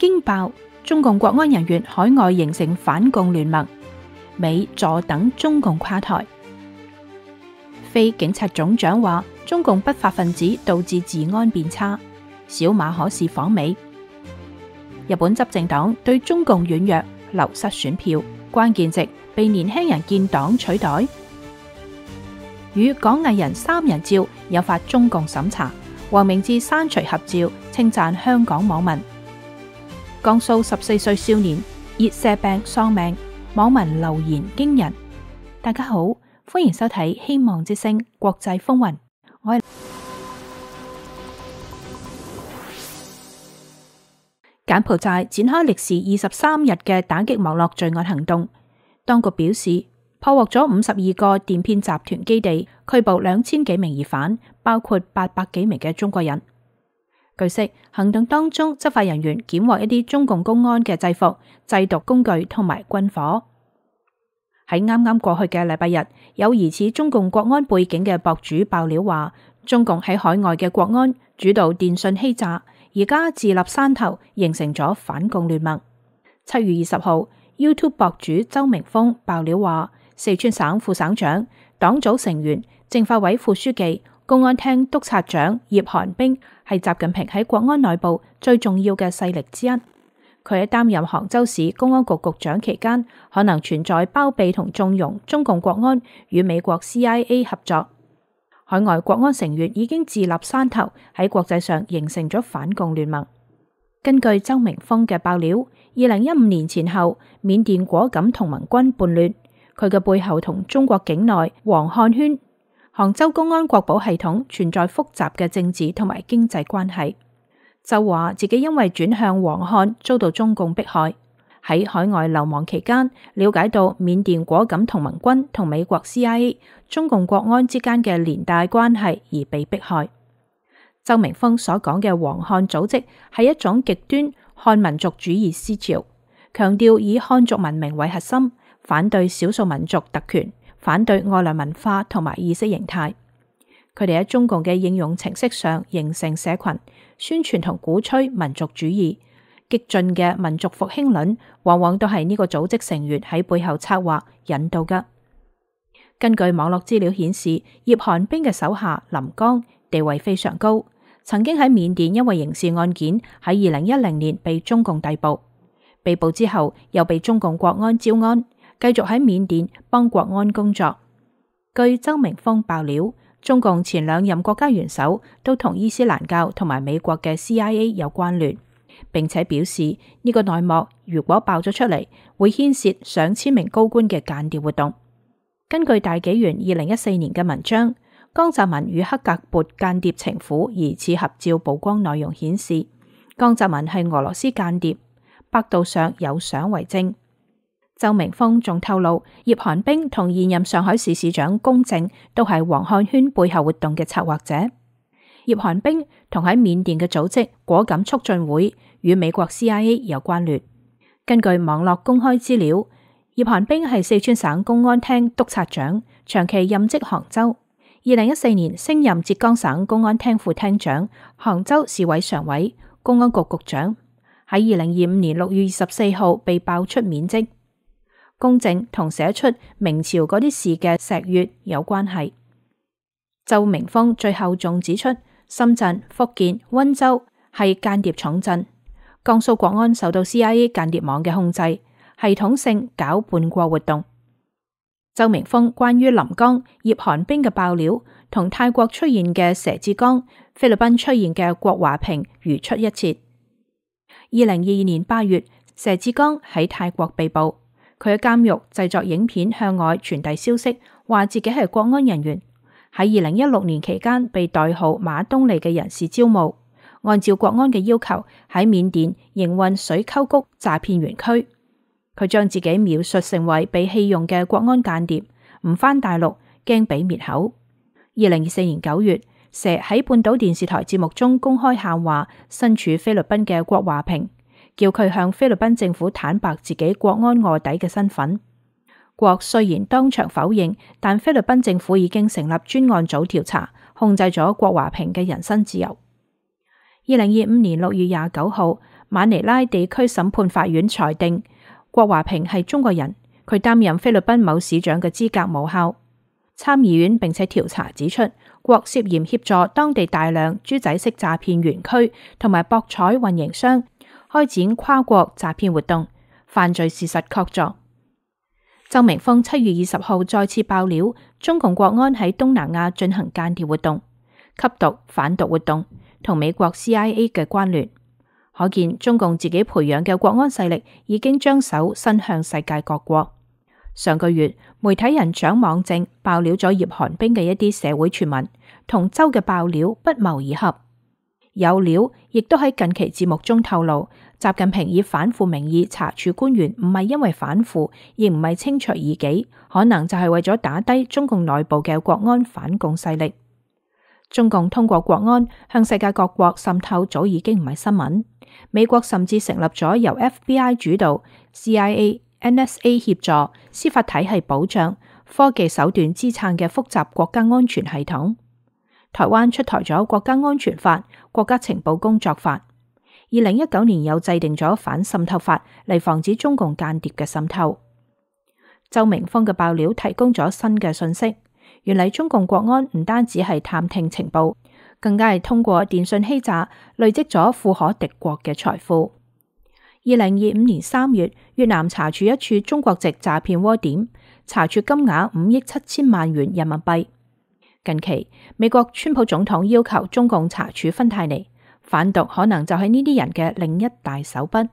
驚爆，中共國安人員海外形成反共聯盟，美坐等中共垮台。非警察總長話，中共不法分子導致治安變差，小馬可仕訪美。日本執政黨對中共軟弱，流失選票，關鍵席被年輕人建黨取代。與港藝人三人照引發中共審查，黃明志刪除合照，稱讚香港網民。江蘇14歲少年熱射病喪命，網民留言驚人。大家好，歡迎收睇希望之聲國際風雲。我係柬埔寨展開歷時23日嘅打擊網絡罪案行動，當局表示破獲咗52個電騙集團基地，拘捕2000幾名疑犯，包括800幾名嘅中國人。據悉，行動當中執法人員檢獲一啲中共公安嘅制服、製毒工具同埋軍火。喺啱啱過去嘅禮拜日，有疑似中共國安背景嘅博主爆料話，中共喺海外嘅國安主導電信欺詐，而家自立山頭，形成咗反共聯盟。7月20號，YouTube 博主周明峰爆料話，四川省副省長、黨組成員、政法委副書記、公安廳督察長葉寒冰係習近平喺國安內部最重要嘅勢力之一。佢喺擔任杭州市公安局局長期間，可能存在包庇同縱容中共國安與美國 CIA 合作。海外國安成員已經自立山頭，喺國際上形成咗反共聯盟。根據周明峰嘅爆料，2015年前後，緬甸果敢同盟軍叛亂，佢嘅背後同中國境內黃漢圈、杭州公安國保系統存在複雜嘅政治同埋經濟關係。就話自己因為轉向黃漢遭到中共迫害，喺海外流亡期間了解到緬甸果敢同盟軍同美國 CIA、中共國安之間嘅連帶關係而被迫害。周明峰所講嘅黃漢組織係一種極端漢民族主義思潮，強調以漢族文明為核心，反對少數民族特權，反對外來文化同埋意識形態。佢哋喺中共嘅應用程式上形成社群，宣傳同鼓吹民族主義，激進嘅民族復興論往往都係呢個組織成員喺背後策劃引導嘅。根據網絡資料顯示，葉寒冰嘅手下林剛地位非常高，曾經喺緬甸因為刑事案件喺2010年被中共逮捕，被捕之後又被中共國安招安，繼續喺緬甸幫國安工作。據周明峰爆料，中共前兩任國家元首都同伊斯蘭教同埋美國嘅 CIA 有關聯，並且表示呢個內幕如果爆咗出嚟，會牽涉上千名高官嘅間諜活動。根據大紀元2014年嘅文章，江澤民與克格勃間諜情婦疑似合照曝光內容顯示，江澤民係俄羅斯間諜，百度上有相為證。周明峰仲透露，葉寒冰同現任上海市市長龔正都係黃漢圈背後活動嘅策劃者。葉寒冰同喺緬甸嘅組織果敢促進會與美國 CIA 有關聯。根據網絡公開資料，葉寒冰係四川省公安廳督察長，長期任職杭州。2014年升任浙江省公安廳副廳長、杭州市委常委、公安局局長。喺2025年6月24號被爆出免職。龔正同寫出明朝嗰啲事嘅石粵有關係。周明峰最後仲指出，深圳、福建、溫州係間諜重鎮，江蘇國安受到 CIA 間諜網嘅控制，系統性搞叛國活動。周明峰關於林剛、葉寒冰嘅爆料，同泰國出現嘅佘志剛、菲律賓出現嘅郭華平如出一轍。2022年8月，佘志剛喺泰國被捕。佢喺監獄製作影片向外傳遞消息，話自己係國安人員。喺2016年期間被代號馬東利嘅人士招募，按照國安嘅要求喺緬甸營運水溝谷詐騙園區。佢將自己描述成為被棄用嘅國安間諜，唔返大陸驚俾滅口。2024年9月，佘喺半島電視台節目中公開喊話身處菲律賓嘅郭華平，叫佢向菲律賓政府坦白自己國安臥底嘅身份。郭雖然當場否認，但菲律賓政府已經成立專案組調查，控制咗郭華平嘅人身自由。2025年6月29號，馬尼拉地區審判法院裁定郭華平係中國人，佢擔任菲律賓某市長嘅資格無效。參議院並且調查指出，郭涉嫌協助當地大量豬仔式詐騙園區同埋博彩運營商開展跨國詐騙活動，犯罪事實確鑿。周明峰7月20號再次爆料，中共國安喺東南亞進行間諜活動、吸毒販毒活動，同美國 CIA 嘅關聯，可見中共自己培養嘅國安勢力已經將手伸向世界各國。上個月，媒體人蔣網正爆料咗葉寒冰嘅一啲社會傳聞，同周嘅爆料不謀而合。有料亦都喺近期節目中透露，習近平以反腐名義查處官員，唔係因為反腐，亦唔係清除異己，可能就係為咗打低中共內部嘅國安反共勢力。中共通過國安向世界各國滲透，早已經唔係新聞。美國甚至成立咗由 FBI 主導、CIA、NSA 協助、司法體系保障、科技手段支撐嘅複雜國家安全系統。台灣出台咗國家安全法、國家情報工作法。2019年又制定咗反滲透法嚟防止中共間諜嘅滲透。周明峰嘅爆料提供咗新嘅信息，原嚟中共國安唔單止係探聽情報，更加係通過電信欺詐累積咗富可敵國嘅財富。2025年3月，越南查處一處中國籍詐騙窩點，查處金額5億7千萬元人民幣。近期，美國川普總統要求中共查處芬太尼，販毒可能就係呢啲人嘅另一大手筆。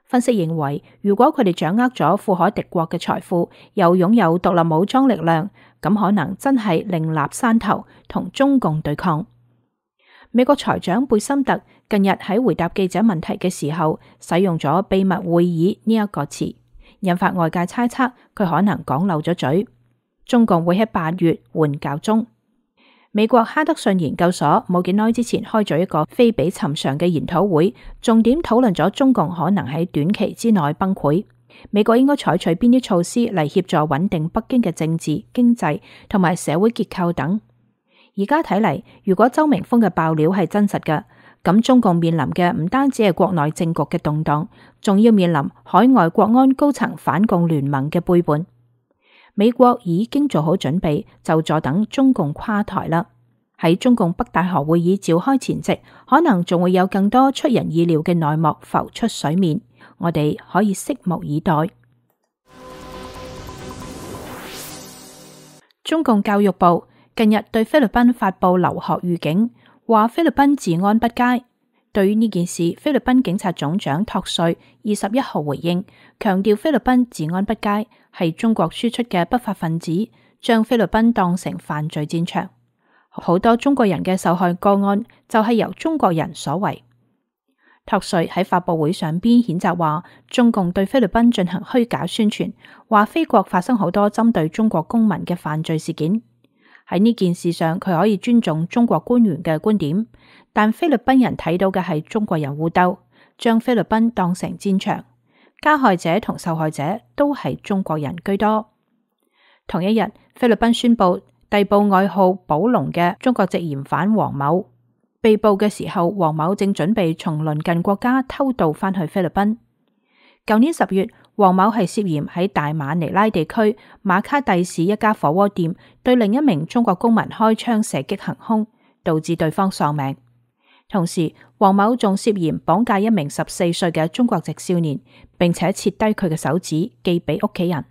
分析認為，如果佢哋掌握咗富可敵國嘅財富，又擁有獨立武裝力量，咁可能真係另立山頭同中共對抗。美國財長貝森特近日喺回答記者問題嘅時候，使用咗秘密會議呢一個詞，引發外界猜測佢可能講漏咗嘴。中共會喺8月換教宗。美國哈德遜研究所冇幾耐之前開咗一個非比尋常嘅研討會，重點討論咗中共可能喺短期之內崩潰，美國應該採取邊啲措施嚟協助穩定北京嘅政治、經濟同埋社會結構等。而家睇嚟，如果周明峰嘅爆料係真實嘅，咁中共面臨嘅唔單止係國內政局嘅動盪，仲要面臨海外國安高層反共聯盟嘅背叛。美國已經做好準備，就坐等中共垮台啦。喺中共北戴河會議召開前夕，可能仲會有更多出人意料嘅內幕浮出水面，我哋可以拭目以待。中共教育部近日對菲律賓發布留學預警，話菲律賓治安不佳。對於呢件事，菲律賓警察總長托瑞21號回應，強調菲律賓治安不佳係中國輸出嘅不法分子將菲律賓當成犯罪戰場，好多中國人嘅受害個案就係由中國人所為。托瑞喺發佈會上邊譴責話，中共對菲律賓進行虛假宣傳，話菲國發生好多針對中國公民嘅犯罪事件。喺呢件事上，佢可以尊重中國官員嘅觀點，但菲律賓人睇到嘅係中國人互鬥，將菲律賓當成戰場，加害者同受害者都係中國人居多。同一日，菲律賓宣布逮捕外號寶龍嘅中國籍嫌犯黃某。被捕嘅時候，黃某正準備從鄰近國家偷渡返去菲律賓。舊年10月，黃某係涉嫌喺大馬尼拉地區馬卡蒂市一家火鍋店對另一名中國公民開槍射擊行兇，導致對方喪命。同時，黃某仲涉嫌綁架一名14歲嘅中國籍少年，並且切低佢嘅手指寄俾屋企人。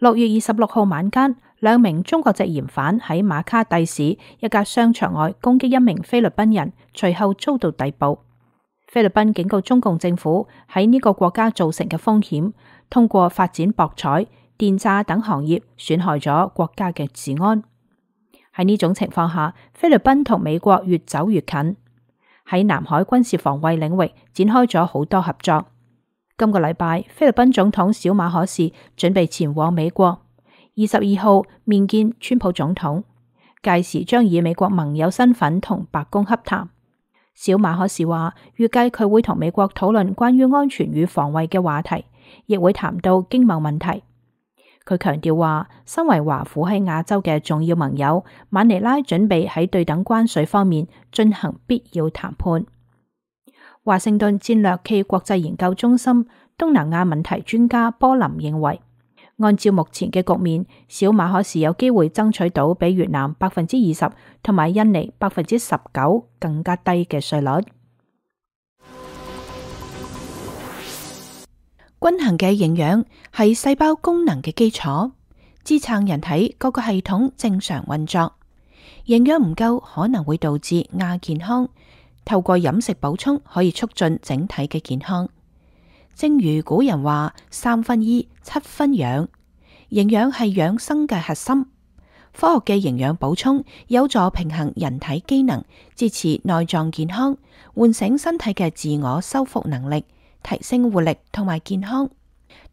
6月26號晚間，兩名中國籍嫌犯喺馬卡蒂市一家商場外攻擊一名菲律賓人，隨後遭到逮捕。菲律賓警告中共政府喺呢個國家造成嘅風險，通過發展博彩、電詐等行業損害咗國家嘅治安。喺呢種情況下，菲律賓同美國越走越近，喺南海軍事防衛領域展開咗好多合作。今個禮拜，菲律賓總統小馬可仕準備前往美國，22號面見川普總統，屆時將以美國盟友身份同白宮洽談。小馬可仕話，預計佢會同美國討論關於安全與防衛嘅話題，亦會談到經貿問題。佢強調話，身為華府喺亞洲嘅重要盟友，馬尼拉準備喺對等關稅方面進行必要談判。華盛頓戰略暨國際研究中心東南亞問題專家波林認為，按照目前嘅局面，小馬可是有機會爭取到比越南20%同埋印尼19%更加低嘅稅率。均衡嘅營養係細胞功能嘅基礎，支撐人體各個系統正常運作。營養唔夠可能會導致亞健康，透過飲食補充可以促進整體嘅健康。正如古人話：3分醫，7分養。營養係養生嘅核心。科學嘅營養補充有助平衡人體機能，支持內臟健康，喚醒身體嘅自我修復能力，提升活力同埋健康。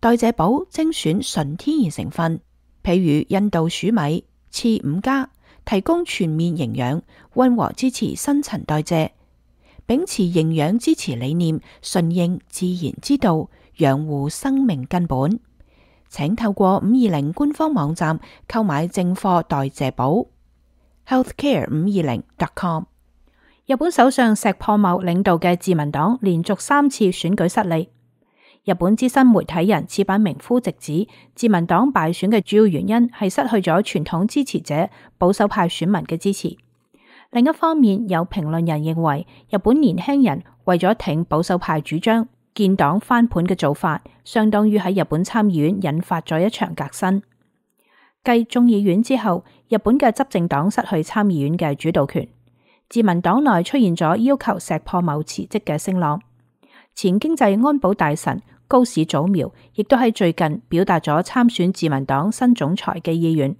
代謝寶精選純天然成分，譬如印度黍米、次5+，提供全面營養，溫和支持新陳代謝。秉持營養支持理念，順應自然之道，養護生命根本。請透過520官方網站購買正貨代謝寶 healthcare520.com。日本首相石破茂領導嘅自民黨連續3次選舉失利。日本資深媒體人矢板明夫直指，自民黨敗選嘅主要原因係失去咗傳統支持者保守派選民嘅支持。另一方面，有評論人認為，日本年輕人為咗挺保守派主張，建黨翻盤嘅做法，相當於喺日本參議院引發咗一場革新。繼眾議院之後，日本嘅執政黨失去參議院嘅主導權，自民黨內出現咗要求石破茂辭職嘅聲浪。前經濟安保大臣高市早苗亦都喺最近表達咗參選自民黨新總裁嘅意願。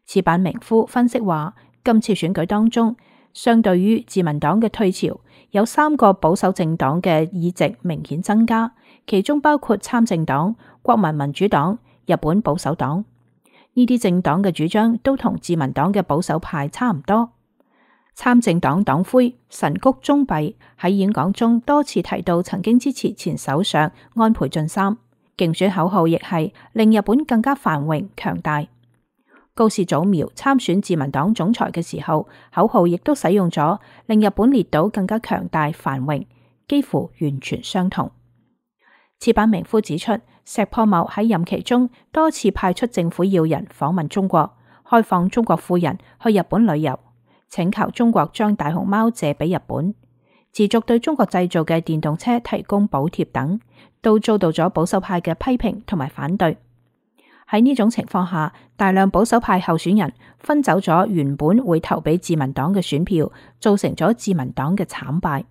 矢板明夫分析話，今次選舉當中，相對於自民黨嘅退潮，有3個保守政黨嘅議席明顯增加，其中包括參政黨、國民民主黨、日本保守黨。呢啲政黨嘅主張都同自民黨嘅保守派差唔多。參政黨黨魁神谷宗弼喺演講中多次提到曾經支持前首相安倍晉三，競選口號亦係令日本更加繁榮強大。高市早苗參選自民黨總裁嘅時候，口號亦都使用咗令日本列島更加強大繁榮，幾乎完全相同。矢板明夫指出，石破茂喺任期中多次派出政府要人訪問中國，開放中國富人去日本旅遊，請求中國將大熊貓借俾日本，持續對中國製造嘅電動車提供補貼等，都遭到咗保守派嘅批評同埋反對。喺呢種情況下，大量保守派候選人分走咗原本會投俾自民黨嘅選票，造成咗自民黨嘅慘敗。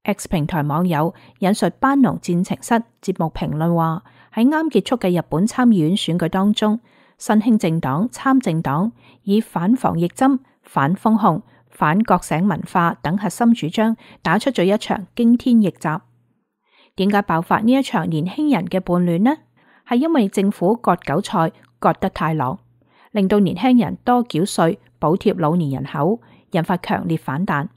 X 平台網友引述班農戰情室節目評論話，喺啱結束嘅日本參議院選舉當中，新興政黨、參政黨以反防疫針、反封控、反覺醒文化等核心主張，打出咗一場驚天逆襲。點解爆發呢一場年輕人嘅叛亂呢？係因為政府割韭菜割得太狼，令到年輕人多繳稅補貼老年人口，引發強烈反彈。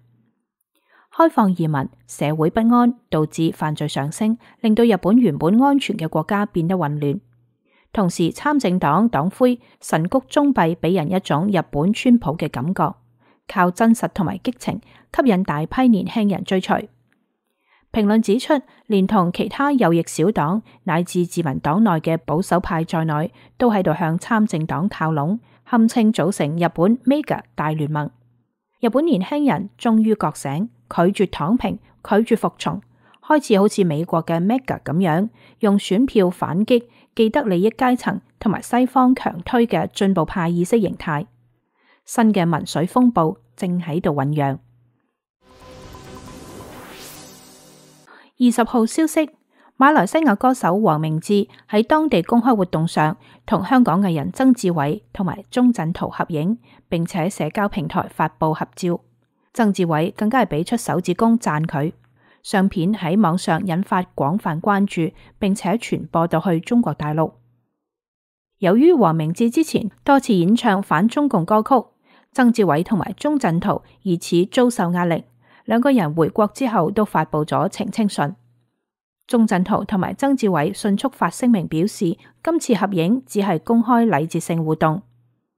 開放移民，社會不安，導致犯罪上升，令到日本原本安全嘅國家變得混亂。同時，參政黨黨魁神谷宗弼俾人一種日本川普嘅感覺，靠真實同埋激情吸引大批年輕人追隨。評論指出，連同其他右翼小黨乃至自民黨內嘅保守派在內，都喺度向參政黨靠攏，堪稱組成日本 Mega 大聯盟。日本年輕人終於覺醒，拒絕躺平，拒絕服從，開始好似美國嘅 Mega 咁樣，用選票反擊既得利益階層同埋西方強推嘅進步派意識形態。新嘅民粹風暴正喺度醞釀。20號消息，馬來西亞歌手黃明志喺當地公開活動上同香港藝人曾志偉同埋鐘鎮濤合影，並且喺社交平台發布合照。曾志偉更加係俾出手指公讚佢。相片喺網上引發廣泛關注，並且傳播到去中國大陸。由於黃明志之前多次演唱反中共歌曲，曾志偉同埋鐘鎮濤疑似遭受壓力。兩個人回國之後都發布咗澄清信。鐘鎮濤同埋曾志偉迅速發聲明表示，今次合影只係公開禮節性互動，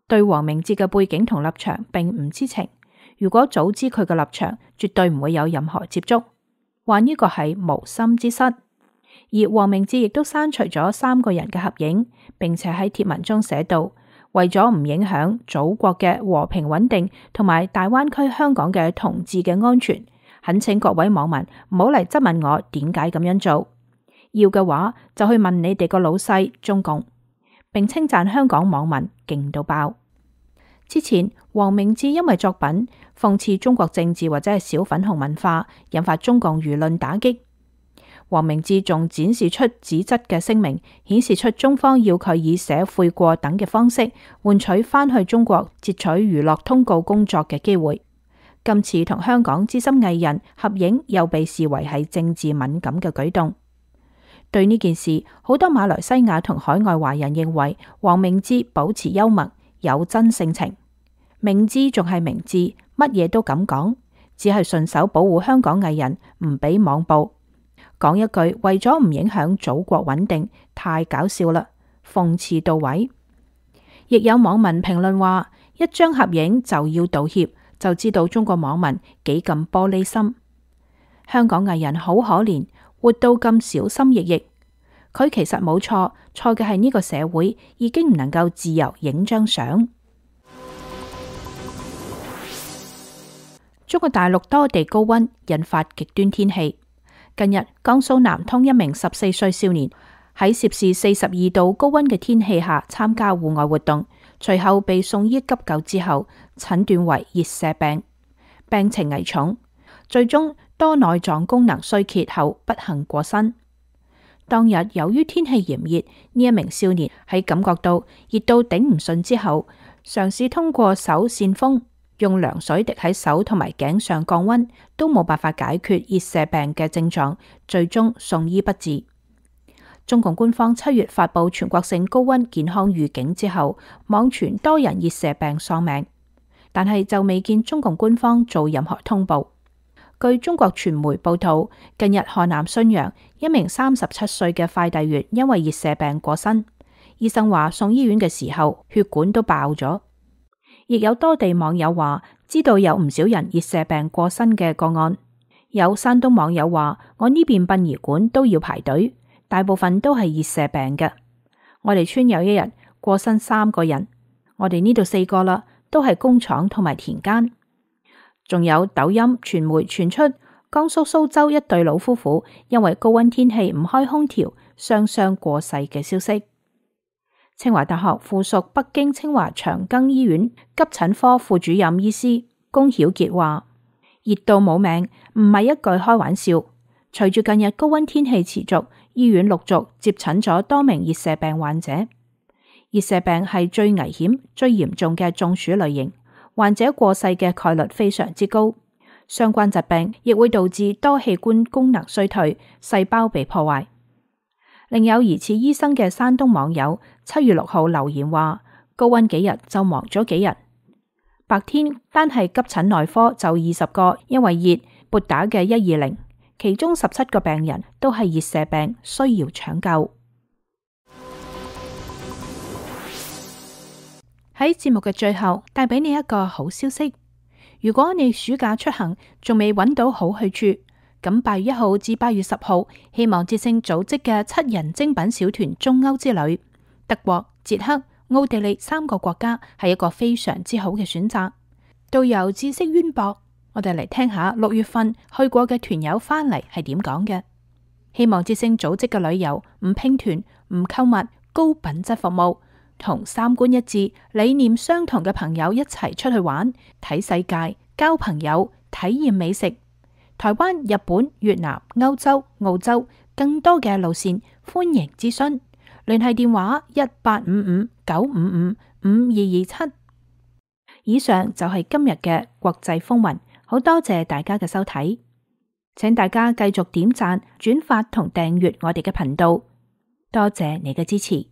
對黃明志嘅背景同立場並唔知情。如果早知佢嘅立場，絕對唔會有任何接觸。話呢個係無心之失。而黃明志亦都刪除咗3個人嘅合影，並且喺貼文中寫道：為咗唔影響祖國嘅和平穩定同埋大灣區香港嘅同志嘅安全，懇請各位網民唔好嚟質問我點解咁樣做，要嘅話就去問你哋個老細中共，並稱讚香港網民勁到爆。之前黃明志因為作品諷刺中國政治或者係小粉紅文化，引發中共輿論打擊。黃明志仲展示出紙質嘅聲明，顯示出中方要佢以寫悔過等嘅方式換取返去中國截取娛樂通告工作嘅機會。今次同香港資深藝人合影又被視為係政治敏感嘅舉動。對呢件事，好多馬來西亞同海外華人認為黃明志保持幽默，有真性情。明志仲係明志，乜嘢都敢講，只係順手保護香港藝人唔俾網暴。講一句為咗唔影響祖國穩定，太搞笑啦，諷刺到位。亦有網民評論話，一張合影就要道歉，就知道中國網民幾咁玻璃心。香港藝人好可憐，活到咁小心翼翼。佢其實冇錯，錯嘅係呢個社會已經唔能夠自由影張相。中國大陸多地高溫引發極端天氣。近日，江蘇南通一名14歲少年喺攝氏42度高溫嘅天氣下參加戶外活動，隨後被送醫急救之後，診斷為熱射病，病情危重，最終多內臟功能衰竭後不幸過身。當日由於天氣炎熱，呢一名少年喺感覺到熱到頂唔順之後，嘗試通過手扇風，用涼水滴喺手同埋頸上降溫，都冇辦法解決熱射病嘅症狀，最終送醫不治。中共官方7月發布全國性高溫健康預警之後，網傳多人熱射病喪命，但係就未見中共官方做任何通報。據中國傳媒報道，近日河南信陽一名37歲嘅快遞員因為熱射病過身，醫生話送醫院嘅時候血管都爆咗。亦有多地網友話知道有唔少人熱射病過身嘅個案。有山東網友話，我呢邊殯儀館都要排隊，大部分都係熱射病嘅。我哋村有一日過身3個人，我哋呢度4個啦，都係工廠同埋田間。仲有抖音傳媒傳出江蘇蘇州一對老夫婦因為高溫天氣唔開空調，雙雙過世嘅消息。清華大學附屬北京清華長庚醫院急診科副主任醫師龔曉傑話：熱到冇命，唔係一句開玩笑。隨住近日高溫天氣持續，醫院陸續接診咗多名熱射病患者。熱射病係最危險、最嚴重嘅中暑類型，患者過世嘅概率非常之高。相關疾病亦會導致多器官功能衰退、細胞被破壞。另有疑似醫生嘅山東網友7月6號留言話：高溫幾日就忙咗幾日，白天單係急診內科就20個因為熱撥打嘅120，其中17個病人都係熱射病，需要搶救。喺節目嘅最後，帶俾你一個好消息：如果你暑假出行仲未揾到好去處，咁8月1號至8月10號，希望之聲組織嘅7人精品小團中歐之旅，德國、捷克、奧地利3個國家係一個非常之好嘅選擇。導遊知識淵博，我哋嚟聽下6月份去過嘅團友返嚟係點講嘅。希望之聲組織嘅旅遊唔拼團、唔購物、高品質服務，同3觀一致、理念相同嘅朋友一齊出去玩、睇世界、交朋友、體驗美食。台灣、日本、越南、歐洲、澳洲更多嘅路線，歡迎諮詢，聯繫電話1855-955-5227。以上就係今日嘅國際風雲，好多謝大家嘅收睇，請大家繼續點讚、轉發同訂閱我哋嘅頻道，多謝你嘅支持。